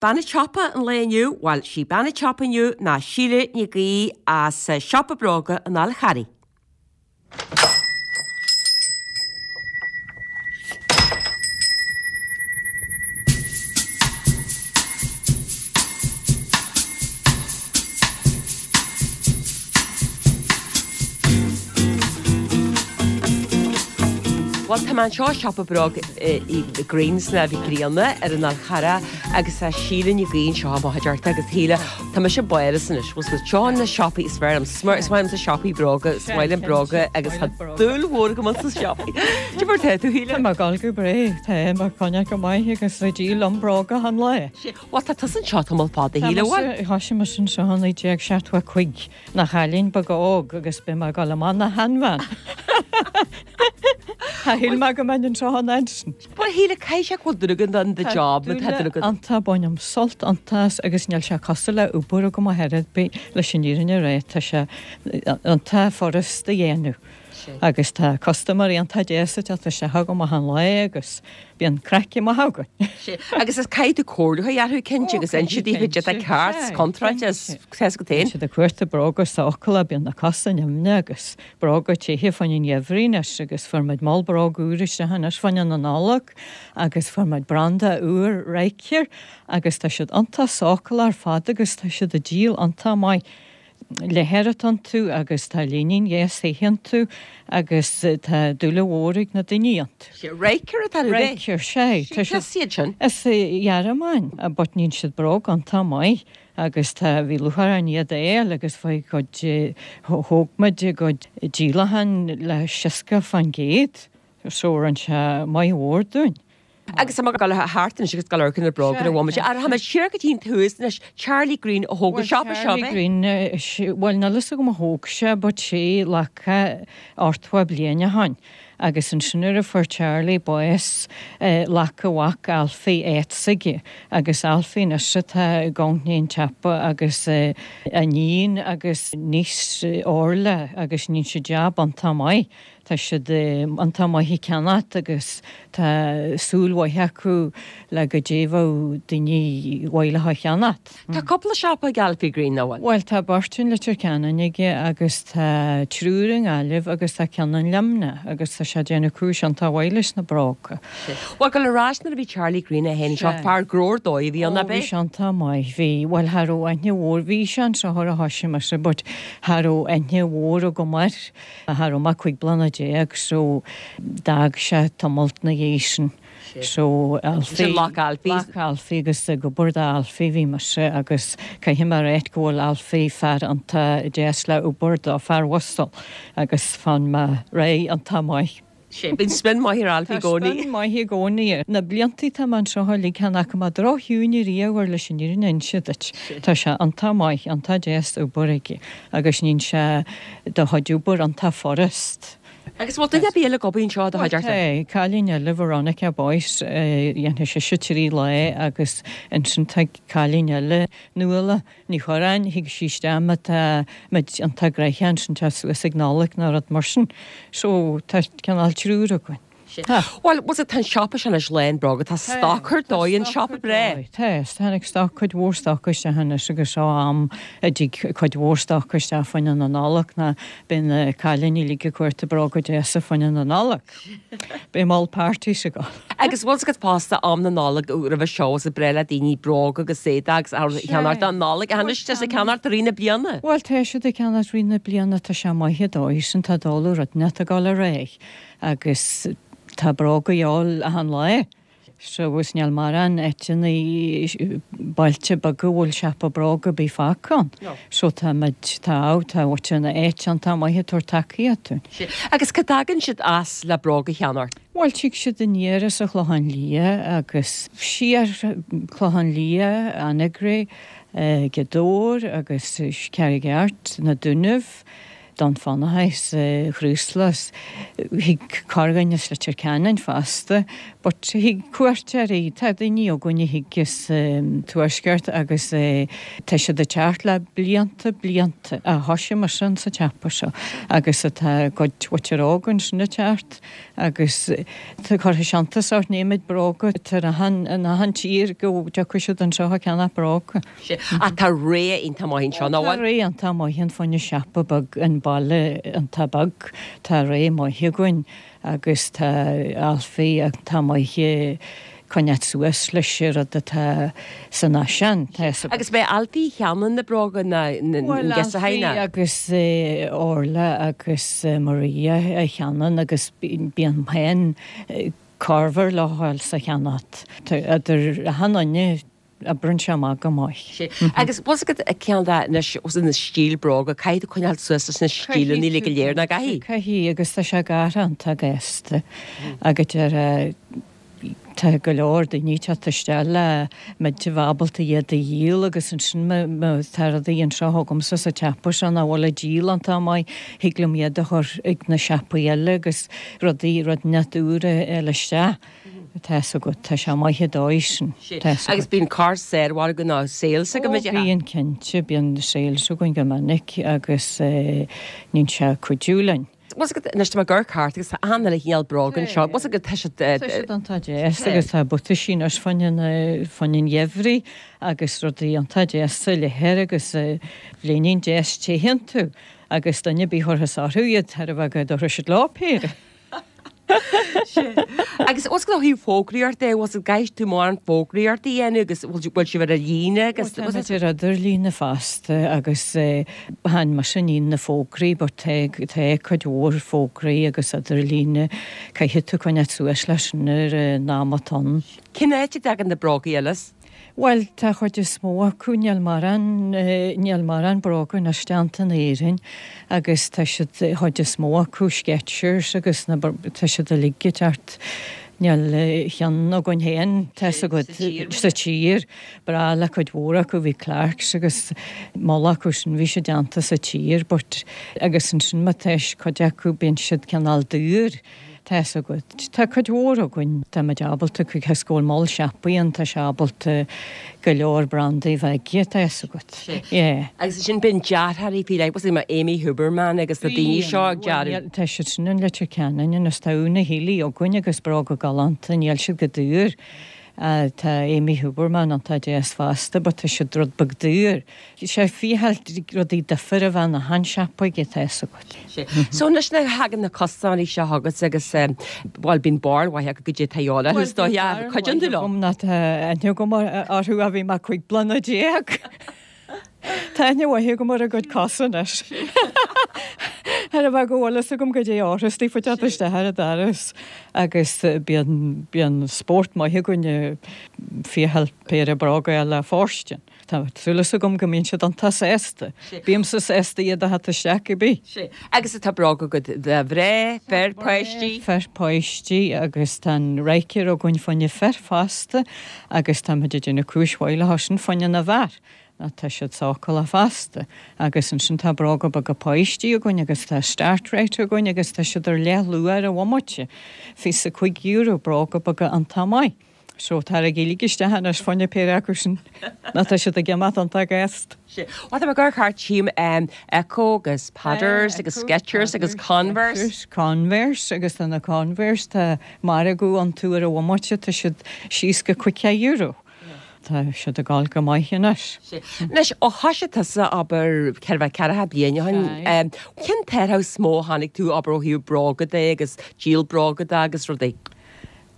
Bean an tsiopa an lae inniu, bhuel, sí bean an tsiopa inniu ná Síle Nic Aoidh as Siopa Bróga an Fháil Charraigh. Bhuel, tá mé anseo i siopa bróg Greens ná Mhic Grianna ar an Fhál Charrach agus tá Síle Ní Ghaoith anseo i mo chuideachta agus Shíle, tá mise báireas anois, bhfuil fhios agat, seo na siopaí is fearr liom, is maith liomsa siopaí bróga, is maith liom bróga agus tá dúil mhór agam ins na siopaí. Cad é mar tá tú, Shíle? Tá mé ag gabháil go breá, tá mé ag coinneáil go maith agus ag díol liom bróga achan lá. Bhuel, tá tusa anseo tamall fada, a Shíle, bhfuil? Thoisigh mise anseo i 1975, 'na chailín beag óg agus beidh mé ag dul amach 'na sheanbhean. Shíl mé go mbeinn anseo an fhad sin. Bhuel, a Shíle, caithfidh sé go bhfuil dúil agat in do job, má tá dúil agat. Iontach, bainim sult iontach as agus níl sé cosúil le obair agam ar chor ar bith leis an fhírinne a rá, tá sé iontach furast a dhéanamh. Agus tá custaiméirí iontach deas ag teacht isteach agam achan lá agus bíonn craic maith againn. Agus is caithfidh tú comhairliúchán orthu cinnte agus inse daofa cad é ceart 's contráilte is tá fhios agat féin. Bíonn siad ag cuartú bróga sócúla, bíonn na cosa nimhneach agus bróga tithe fá choinne an gheimhridh anois agus fuair muid moll bróg úr isteach anois fá choinne na Nollag agus fuair muid branda úr Ryker agus tá siad iontach sócúla ar fad agus tá siad ag díol iontach maith. Leathar atá iontu agus tá línín dheas thithe iontu agus tá dúil mhór ag na daoine iontu. Ryker atá ar bith? Ryker, sea. Tá siad. Cé hiad sin? As an Ghearmáin, but níonn siad bróg iontach maith agus tá, bhí lúcháir orainn iad a fháil agus bhí cuid, thóg muid a gcuid díolachán le 60%, so rinne sé maith mhór dúinn. Agus tá mé ag dul thart anois agus ag dul amharc ar na bróga ar bhomaite. Ara, tá mé siar go dtí an tús anois. Charlie Green a thóg an siopa seo, ab é? Charlie Green, bhuel níl fhios agam a thóg sé but sé leaca ochtmhá bliain ó shoin. Agus ansin nuair a fuair Charlie bás, ghlac a mhac Alfie áit s'aige. Agus Alfie anois atá i gcoinne an tsiopa agus a iníon agus niece Orla agus níonn siad jab iontach maith. Tá siad iontach maith ag ceannacht agus tá súil mhaith acu le goidé bheadh daoine mhaith leo a cheannacht. Tá cúpla siopa ag Alfie Green, nach bhfuil? Bhuel, tá beirt in Leitir Ceanainn aige agus tá triúr i nGaillimh agus tá ceann in Luimneach agus tá sé ag déanamh cúis iontach mhaith leis na bróga. Bhuel, gabh ar ais nuair a bhí Charlie Green é féin anseo, fear gnó ar dóigh a bhí ann, ab é? Ó, bhí sé iontach maith. Bhí, bhuel, cha raibh aithne mhór, bhí sé anseo nuair a thoisigh mise but cha raibh aithne mhór agam air. Cha raibh mé ach 15 bliana so d'fhág sé tamalt 'na dhiaidh sin. So Alfie, Ghlac Alfie. Ghlac Alfie agus ag obair do Alfie bhí mise agus caithfidh mé a ráit go bhfuil Alfie fear iontach deas le obair dó, fear uasal agus faigheann mé réidh iontach maith. Sea, bíonn spion maith ar Alfie i gcónaí. Tá spion maith i gcónaí air. Na bliantaí atá mé anseo uilig, chan fhaca mé drochshiúin ariamh air leis an fhírinne a inse duit. Tá sé iontach maith, iontach deas obair aige agus níonn sé do chuid obair iontach furast. Agus bhfuil duine ar bith eile ag obair anseo i do chuideachta? Tá, cailín eile, Veronica Boyce, dhéanfaidh sise 3 lá agus ansin tá cailín eile, Nuala, Ní Churráin, thig sí isteach má tá muid iontach gnoitheach ansin tá suas ag Nollaig nó rud mar sin. So tá cineál triúr againn. Tá. Bhuel, bhfuil tá an siopa sin anois lán bróga, tá stoc ar dóigh, an siopa breá. Tá, tháinig stoc, cuid mhór stoc isteach anois agus seo am a dtig cuid mhór stoc isteach fá choinne na Nollag ná beidh na cailíní uilig ag cuartú bróga deasa fá choinne na Nollag. Beidh moll parties ag gabháil. Agus bhfuil fhios agat fosta am na Nollag roimhe seo is breá le daoine bróga agus éadaí agus a cheannacht don Nollaig ach anois tá siad ag ceannacht i rith na bliana. Bhuel tá siad ag ceannacht rith na bliana tá sé maith an dóigh sin tá dul rud inteacht ag dul ar aghaidh agus tá bróga a dhíobháil achan lá. So agus níl mórán áiteanna bailte beaga a bhfuil siopa bróg ar bith fágtha ann. So tá muid, tá, tá muid ina áit iontach maith ag tabhairt tacaíocht dúinn. Agus cá dtagann siad as le bróga a cheannacht? Bhuel, tig siad aniar as an Chlochán Liath agus siar Clochán Liath, Anagaire, Gaoth Dobhair agus Carraig Airt, na Dúnaibh. Dún Fionnachaidh 's Chraoslaigh 's thig corrdhuine as Leitir Ceanainn fosta but thig cuairteoirí, tá daoine againn a thig as tuaisceart agus tá siad ag teacht le blianta, blianta, ó thoisigh mise in sa tsiopa seo agus tá cuid mhuintir óg ansin ag teacht agus tá cuirfidh sé iontas ort an oiread bróga atá in achan, in achan tír go dtiocfaidh siad anseo ag ceannach bróga. Sea. Ach tá rogha iontach maith anseo, nach bhfuil? Tá rogha iontach maith ann fá choinne siopa beag, an baile iontach beag. Tá rogha maith againn agus tá Alfie iontach maith ag coinneáil suas leis an rud atá san fhaisean. Tá fhios agat. Agus b'é Alfie a cheannaíonn na bróga na Bhuel, giosachaí Alfie ná? agus Orla agus Maria a cheannaíonn agus bíonn féin corruair leo a ghabháil sa cheannacht. Idir achan duine Oibríonn sé amach go maith. Sea. Agus bhfuil fhios agat ceann de anois os na stíl bróga, caithfidh tú coinneáil suas leis na stíleanna uilig go léir, nach gcaithfidh? Caithfidh, agus tá sé ag athrú iontach gasta agus deir tá go leor daoine ag teacht isteach le muid a bheith ábalta iad a dhíol agus ansin má tá rudaí anseo agamsa sa tsiopa seo nach bhfuil ag díol iontach maith, thig liom iad a chur ag na siopaí eile agus rudaí, rud inteacht úr a fháil isteach. Tá fhios agat, tá sé maith an dóigh sin, tá fhios agat. Agus bíonn corr saormhargadh nó sales agaibh, a déarfá? Bíonn cinnte, bíonn sales againn go minic agus níonn sé cuidiú linn. Bhfuil fhios agat, anois tá mé ag amharc thart agus tá achan uile chineál bróga anseo, bhfuil fhios agat, tá siad. Tá siad iontach deas agus tá buataisí anois fá choinne, fá choinne an gheimhridh agus rudaí iontach deas sa leathar agus léinín deas te iontu agus duine ar bith a chuirfeas orthu iad, chóir a bheith go dtabharfaidh siad leo péire. Agus bhfuil fhios agat ó thaobh fógraíocht de, bhfuil fhios agat, caithfidh tú mórán fógraíocht a dhéanamh agus bhfuil sibh ar an líne agus. Tá muid ar idirlíne fosta agus chan mise a níonn na fógraí but tá tá cuid mhór fógraí agus idirlíne, caithfidh tú coinneáil suas leis sin ar an am atá ann. Cén áit a dtagann na brógaí eile as? Bhuel, tá chuid is mó acu, níl mórán, níl mórán bróga anois déanta in Éirinn agus tá siad, chuid is mó acu, Skechers agus na, tá siad uilig ag teacht, níl cheann againn féin, tá fhios agat, sa tír. Breá le cuid mhór acu, bhí Clarks agus moll acu sin, bhí siad déanta sa tír but, agus ansin má tá cuid acu, bíonn siad cineál daor. Tá fhios agat. Tá cuid mhór againn, tá muid ábalta, cos go bhfuil moll siopaí ann, tá sé ábalta go leor brandaí a bheith aige, tá fhios agat. Yeah. Agus ansin bíonn dearthóirí faoi leith, what's mar Amy Huberman agus na daoine seo ag dearadh. Tá siad sin in Leitir Ceanainn anois, tá Úna Healy againn agus bróga galánta, níl siad go daor. Tá Amy Huberman iontach deas fosta but tá siad rud beag daor. Sé ficheall rudaí difir a bheith in achan siopa aige, tá fhios agat. Sea. So anois nuair a thagann na custaiméirí seo chugat agus bhuel bíonn barúil mhaith acu goidé atá a dhíobháil orthu is dóiche ach cuidíonn tú leo. Bhuel bíonn barúil mhaith agam ná tá aithne agam orthu ó bhí mé 15 bliana. Tá aithne mhaith agam ar a gcuid cosa anois. Chóir a bheith go bhfuil fhios agam goidé orthu istigh fá teacht isteach ar an doras agus bíonn bíonn spórt maith againn ag ficheall péire bróga a fháil le fóirstean. Tá súil agam go mbíonn siad iontach sásta. Bímse sásta iad a theacht isteach cibé. Sea. Agus tá bróga agat do mhná, fir, páistí? Fir, páistí agus tá an Ryker againn fá choinne fir fosta agus tá muid ag déanamh cúis mhaith leo sin fá choinne na bhfear. Tá siad sócúlach fosta. Agus ansin tá bróga beaga páistí againn agus tá Start-rite againn agus tá siad ar leathluach ar an bhomaite. €25, bróga beaga iontach maith. So taraigí uilig isteach anois fá choinne péire acu sin nó tá siad ag imeacht iontach gasta. Sea. Bhuel tá mé ag amharc thart tchím Ecco agus Padders agus Skechers agus Converse. Converse agus tá na Converse tá margadh iontu ar an bhomaite tá siad síos go €50. Tá siad ag gabháil go maith anois. Sea. Anois ó thoisigh tusa abair chóir a bheith ceathracha bliain ó shin, cén t-athrú is mó a chonaic tú abair ó thaobh bróga de agus díol bróga de agus rudaí?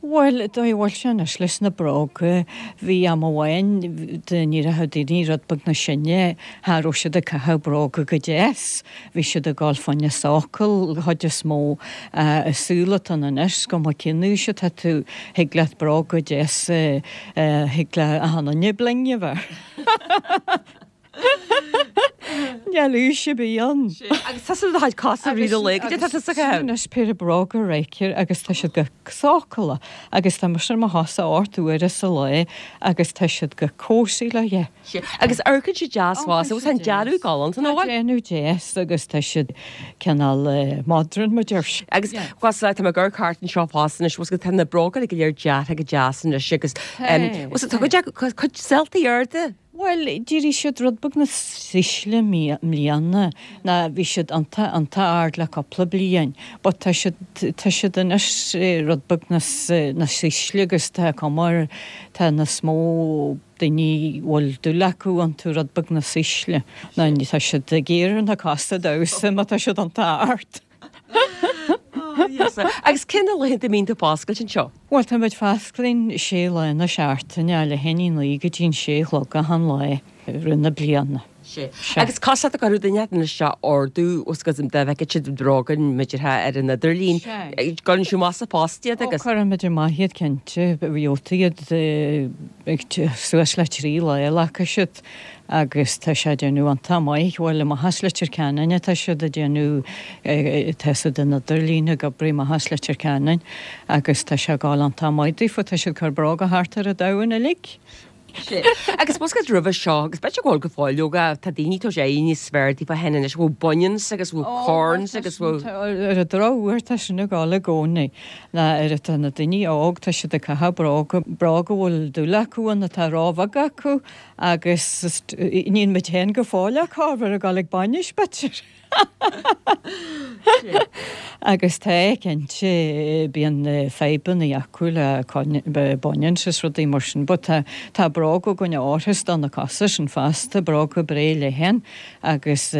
Bhuel, dóigh a bhfuil sé anois leis na bróga, bhí am amháin ní raibh daoine rud beag níos sine, cha raibh siad ag caitheamh bróga go deas, bhí siad ag gabháil fá choinne sócail, chuid is mó, an saol atá ann anois, cuma cén aois atá tú, thig leat bróga deas, thig le achan duine bling a bheith. Níl aois ar bith ann. Agus tá siad do chuid cosa rí do lae go dtí tá tusa Sin anois péire bróga Ryker agus tá siad go sócúlach agus tá mise ar mo chosa 8 uaire sa lá agus tá siad go cosy le yeah. Agus amharcann siad deas fosta agus tá an dearadh galánta nach bhfuil? Tá déanamh deas agus tá siad cineál modern mar deir siad. Agus fosta tá mé ag amharc thart anseo fosta anois bhfuil tá na bróga go léir deartha go deas anois agus bhfuil tá cuid acu cuid seoltaí arda. Bhuel, d'éirigh siad rud beag níos ísle i mbliana ná bhí siad iontach, iontach ard le cúpla bliain but tá siad, tá siad anois rud beag níos, níos ísle agus tá cuma ar, tá níos mó daoine a bhfuil dúil acu iontu rud beag níos ísle ná tá siad ag iarraidh na cosa damhsa má tá siad iontach ard. Agus cé na laethanta a mbíonn tú foscailte anseo? Bhuel, tá muid foscailte sé lá na seachtaine, a leath i ndiaidh a naoi go dtí an sé a chlog achan lá i rith na bliana. Sé. Agus cos leat ag cuireadh duine anois seo ordú os go dá bhfeicfeadh siad bróga b'fhéidir ar an idirlíon. Cuireann sibh amach sa phost iad agus. Ó, cuireann muid amach iad cinnte. Gheobhaidh iad ag suas le 3 lá a ghlacfaidh siad. agus tá sé ag déanamh iontach maith, bhuel amach as Leitir Ceanainn atá siad ag déanamh, tá siad an idirlíon ag oibriú amach as Leitir Ceanainn agus tá sé ag gabháil iontach maith daofa, tá siad ag cur bróga thart ar an domhan uilig. Sea. Agus bhfuil a fhios agat roimhe seo, agus b'fhéidir go bhfuil go fóill leoga, tá daoine ag tabhairt aghaidh níos fearr daofa féin anois, bhfuil bunions agus bhfuil corns agus bhfuil. Ar an drochuair tá sin ag gabháil i gcónaí, ná ar atá na daoine óg, tá siad ag caitheamh bróga, bróga a bhfuil dúil acu ann atá róbheag acu, Agus níl muid féin go fóill ach cá bhfuil ag dul ag bainis, b'fhéidir. Agus tá, cinnte, bíonn fadhbanna acu le bunions is rudaí mar sin, but tá, tá bróga againn a oirfeas do na cosa sin fosta, bróga breá leathan agus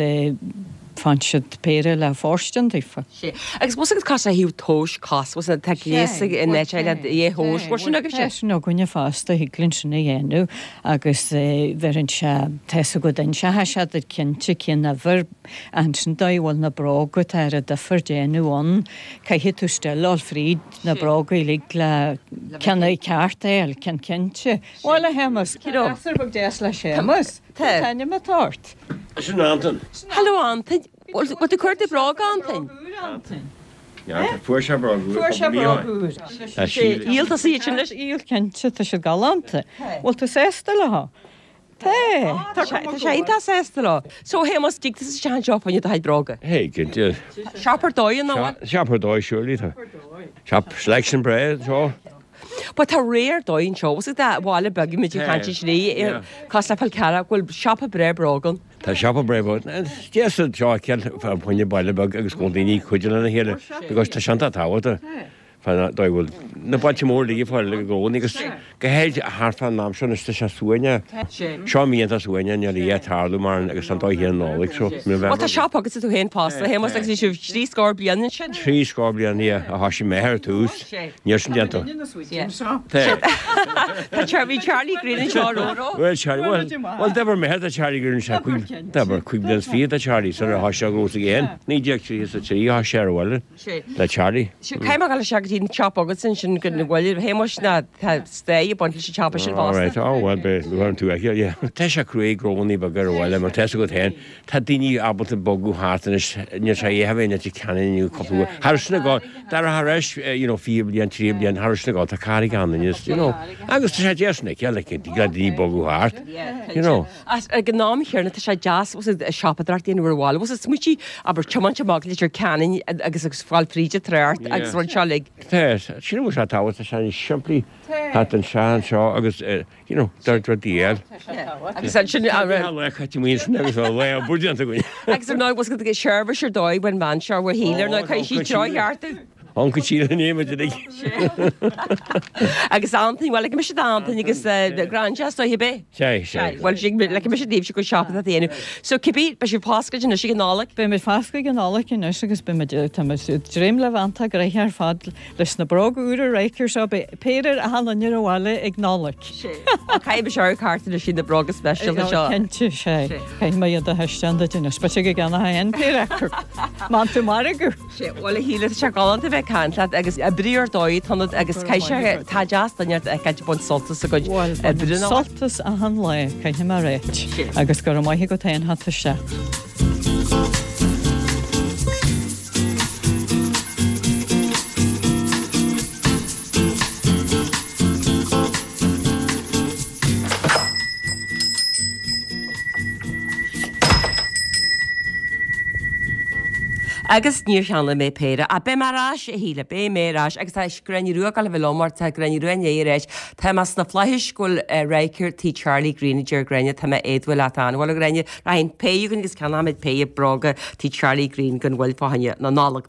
faigheann siad péire le fóirstean daofa. Sea. Agus bhfuil a fhios agat cos ó thaobh tomhais cos, bhfuil a fhios agat, tá gléas ag in áit eile é thomhas, bhfuil sin agaibhse? Tá sin againne fosta, thig linn sin a dhéanamh agus bheireann sé, tá fhios agat, inseoidh sé duit cinnte cén uimhir, ansin dóigh a bhfuil na bróga, tá an difear déanamh ann, caithfidh tú still dul fríd na bróga uilig le ceann ceart a fháil, ceann cinnte. Bhuel a Shéamus, tá gasúr beag deas le Séamus, cén t-ainm atá ort? Sin Antain. Hello Antain. Bhfuil tú ag cuardú bróga, Antain? Fuair sé bróg úr. Fuair sé bróg úr. Níl tusa iad sin leis. Níl, cinnte, tá siad galánta. Bhfuil tú sásta leo? Tá. Tá sé iontach sásta leo. So, Shéamus, dtig tusa isteach anseo fá choinne do chuid bróga? Hey, cinnte. Shop ar dóigh, an bhfuil? Shop ar dóigh, surely. Shop selection breá anseo. But tá rogha ar dóigh anseo. Bhfuil a fhios agat baile beag muid ag caint is cosúil le Fál Carrach, bhfuil siopa breá bróg ann. Tá siopa breá bróg. Deas anseo a fheiceáil fá choinne baile beag agus go bhfuil daoine ag cuidiú lena chéile because tá sé iontach tábhachtach fá dóigh a bhfuil na bailte móra uilig ag fáil i gcónaí agus go háirid thart fán am seo anois tá sé suaimhneach. Seo mí iontach suaimhneach níl a dhath ag tarlú mar agus an dóigh chéanna Nollaig so Bhuel tá siopa agatsa tú féin fosta a Shéamuis agus bhí sibh 30 bliain ansin. 30 bliain yeah a thoisigh m'athair ar tús. Níl sin déanta. Tá Charlie Charlie Green anseo ró. Bhuel Charlie, bhuel, bhuel d'oibir m'athair do Charlie Green sé cúig, d'oibir 25 bliain do Charlie sar a thoisigh sé gnó s'aige féin. 1933 a thoisigh sé ar an bhaile le Charlie. Caithfidh mé dhul isteach go dtí an siopa agatsa ansin go bhfuil Shéamuis ná tá stair ag baint leis an siopa sin fosta. Alright, oh well beidh luath tú aici, yeah. Tá sé cruaidh gnónnaí beaga ar an bhaile mar tá fhios agat féin Tá daoine ábalta bogadh thart anois, níl sé a bheith in Leitir Ceanainn inniu cúpla uair. Thar sin ag dara thar éis, you know, 20 bliain, 30 bliain, thar sin ag tá carraig ann anois, you know. Agus tá sé deas an fheiceáil, like, go daoine bogadh thart, you know. Ach ag an am chéanna tá sé deas siopadóireacht a dhéanamh ar an bhaile. Bhfuil smaointí, abair, tiomáint amach Leitir Ceanainn agus agus fáil fríd an trácht agus rud seo uilig. Tá, sin a bhfuil sé tábhachtach, tá sé níos simplí thart anseo anseo agus you know, dúirt rudaí eile. Agus ansin an raibh. Lá caite amuigh ansin agus a lá obair déanta againn. Agus ar ndóigh bhfuil a seirbhís ar dóigh bhain bean seo bhur shíl ar ndóigh caithfidh sí treo cheart. Uncail Síle an éamaid uilig. Agus Antaine, bhuel ligfidh mise d'Antaine agus Grandchas dóigh ar bith. Sea, sea. Bhuel ligfidh mise daoibhse go siopa a dhéanamh. So cibé, beidh sibh foscailte anois ag an Nollaig? Beidh muid foscailte ag an Nollaig anois agus beidh muid, tá muid ag dréim le bheith iontach gnoitheach ar fad Leis na bróga úra Ryker seo beidh péire ar achan duine ar an bhaile ag Nollaig. Caithfidh mise amharc thart anois ar na bróga speisialta seo. Cinnte, sea. Caithfidh mé iad a thaispeáint duit anois. B'fhéidir go gceannófá féin péire acu. Má tú margadh. Sea, bhuel a Shíle, tá sé galánta a bheith ag caint leat agus oibriú ar dóigh atá ionat agus caithfidh sé, tá deas duine ort a fheiceáil ag baint sult as a gcuid oibre. Bhuel, bainim sult as achan lá, caithfidh mé a ráit. Agus go raibh maith agat féin as teacht isteach. Agus níor cheannaigh mé péire. Ach beidh mé ar ais, a Shíle, beidh mé ar ais. Agus tá Gráinne Rua ag gabháil a bheith liom mar tá Gráinne Rua i ndiaidh a ráit, tá mé sna flaithis go bhfuil radharc tí Charlie Green, a deir Gráinne, tá mé éadmhail leat an-mhaith, a Ghráinne. Rachainn péire againn agus ceannóimid péire bróga tí Charlie Green gan mhoill fá choinne na Nollag.